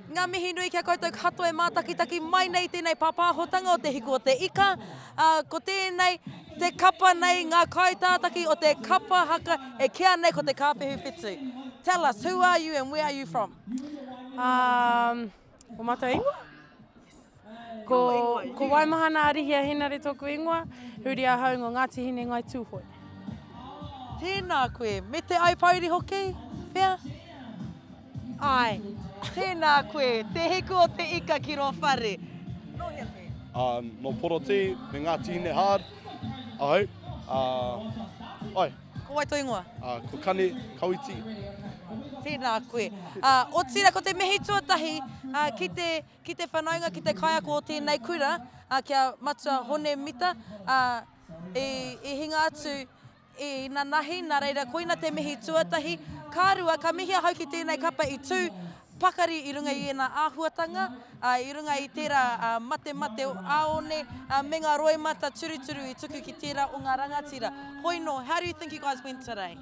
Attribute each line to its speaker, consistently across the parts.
Speaker 1: Ngā mihi nui ki a koutou katoa e mātakitaki mai nei i tēnei pāpāhotanga o Te Hiku o te Ika. Ā, ko tēnei, te kapa nei, ngā kaitātaki o te kapa haka e kīa nei ko Te Kāpehu Whetū. Tell us, who are you and where are you from?
Speaker 2: Um, o mātou ingoa? Ko, ko Waimahana Arihia Henare tōku ingoa, huri ahau ngō Ngāti Hine Ngai Tūhoe.
Speaker 1: Tēnā koe, me te Aupōuri hoki, pea? Āe. Tēnā koe, te hiku o te ika ki rō whare. Nō hea koe?
Speaker 3: Ā, nō Porotī me Ngāti Hine Hard ahau. Ā, āe.
Speaker 1: Ko wai tō ingoa?
Speaker 3: Ā, ko Kane Kawiti.
Speaker 1: Tēnā koe. Ā, otirā ko te mihi tuatahi, ā, ki te, ki te whanaunga, ki te kaiako o tēnei kura, ā, ki a Matua Hone Mita, ā, i, i hinga atu I nanahi, nā reira koina te mihi tuatahi. Ka rua, ka mihi ahau ki tēnei kapa i tū pakari i runga i ēnā āhuatanga, ā, i runga i tērā matemate ā-one, ā, me ngā roimata turuturu i tuku ki tērā o ngā rangatira. Hoi nō, how do you think you guys went today?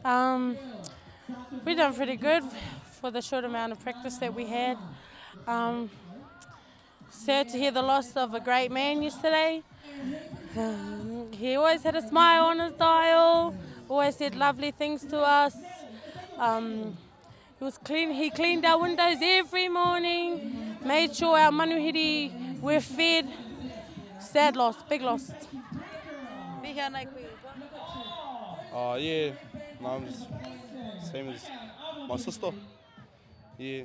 Speaker 2: Um, we done pretty good for the short amount of practice that we had. Um, Sad to hear the loss of a great man yesterday. He always had a smile on his dial, always said lovely things to us. Um, he was clean, he cleaned our windows every morning, made sure our manuhiri were fed. Sad loss, big loss.
Speaker 3: Uh, yeah, no, I'm just same as my sister. Yeah.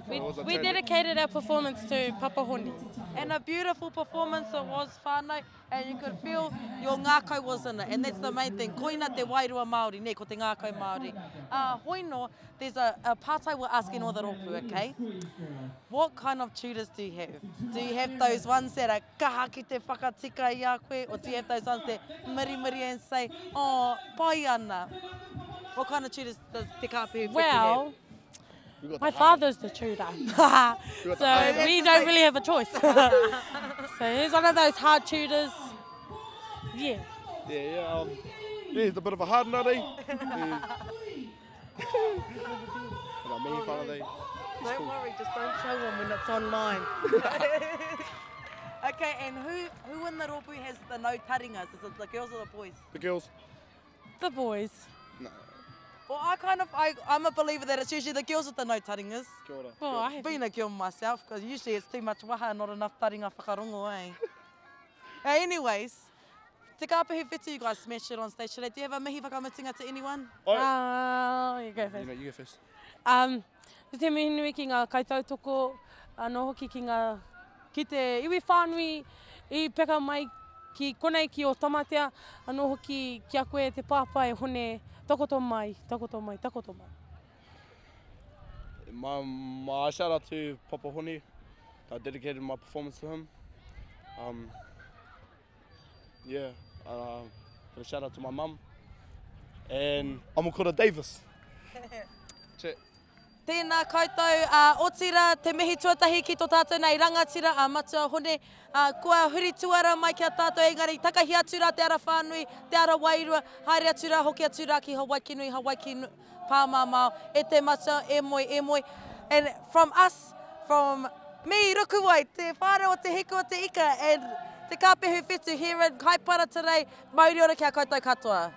Speaker 2: We, we dedicated our performance to Papa Honi.
Speaker 1: And a beautiful performance it was, whānau, and you could feel your ngākau was in it, and that's the main thing. Koina te wairua Māori, nē, ko te ngākau Māori. Uh, hoi no, there's a, a pātai we're asking all the rōpū, okay? What kind of tutors do you have? Do you have those ones that are kaha ki te whakatika i a koe, or do you have those ones that mirimiri and say, oh, pai ana? What kind of tutors does Te Kāpehu Whetu
Speaker 2: well, have? My father's the tutor, so we don't really have a choice. so he's one of those hard tutors. Yeah.
Speaker 3: Yeah, yeah. Um, yeah, he's a bit of a hard nut, eh?
Speaker 1: Don't cool. worry, just don't show them when it's online. okay, and who who in the rōpū has the no taringas? Is it the girls or the boys?
Speaker 3: The girls.
Speaker 2: The boys.
Speaker 3: No.
Speaker 1: Well, I kind of, I, I'm a believer that it's usually the girls with the no taringas.
Speaker 3: Kia ora.
Speaker 2: Well, I have
Speaker 1: Being a girl myself, because usually it's too much waha and not enough taringa whakarongo, eh? Anyways, Te Kāpehu Whetu, you guys smashed it on stage today. Do you have a mihi whakamutunga to anyone?
Speaker 2: Uh, you go first.
Speaker 3: You, know, you go first.
Speaker 2: Um, te mihi nui ki ngā kaitautoko, anō hoki ki ngā, ki te iwi whānui i peka mai ki konei ki Ōtamatea, anō hoki ki a koe te pāpā e Hone, takoto mai, takoto mai, takoto mai.
Speaker 3: My, my shout out to Papa Hone. I dedicated my performance to him. Um, yeah, uh, got a shout out to my mum and Amokura Davis. Check.
Speaker 1: Tēnā koutou, ā, otirā, te mihi tuatahi ki tō tātou nei rangatira, a Matua Hone, ā, kua huri tuara mai ki a tātou, engari takahi atu rā te ara whānui, te ara wairua, haere atu rā, hoki atu rā ki Hawaiki nui, Hawaiki pāmamao, e te matua, e moe, e moe. And from us, from me, Rukuwai, te whānau o Te Hiku o Te Ika, and Te Kāpehu Whetu here in Kaipara today, mauri ora ki a koutou katoa.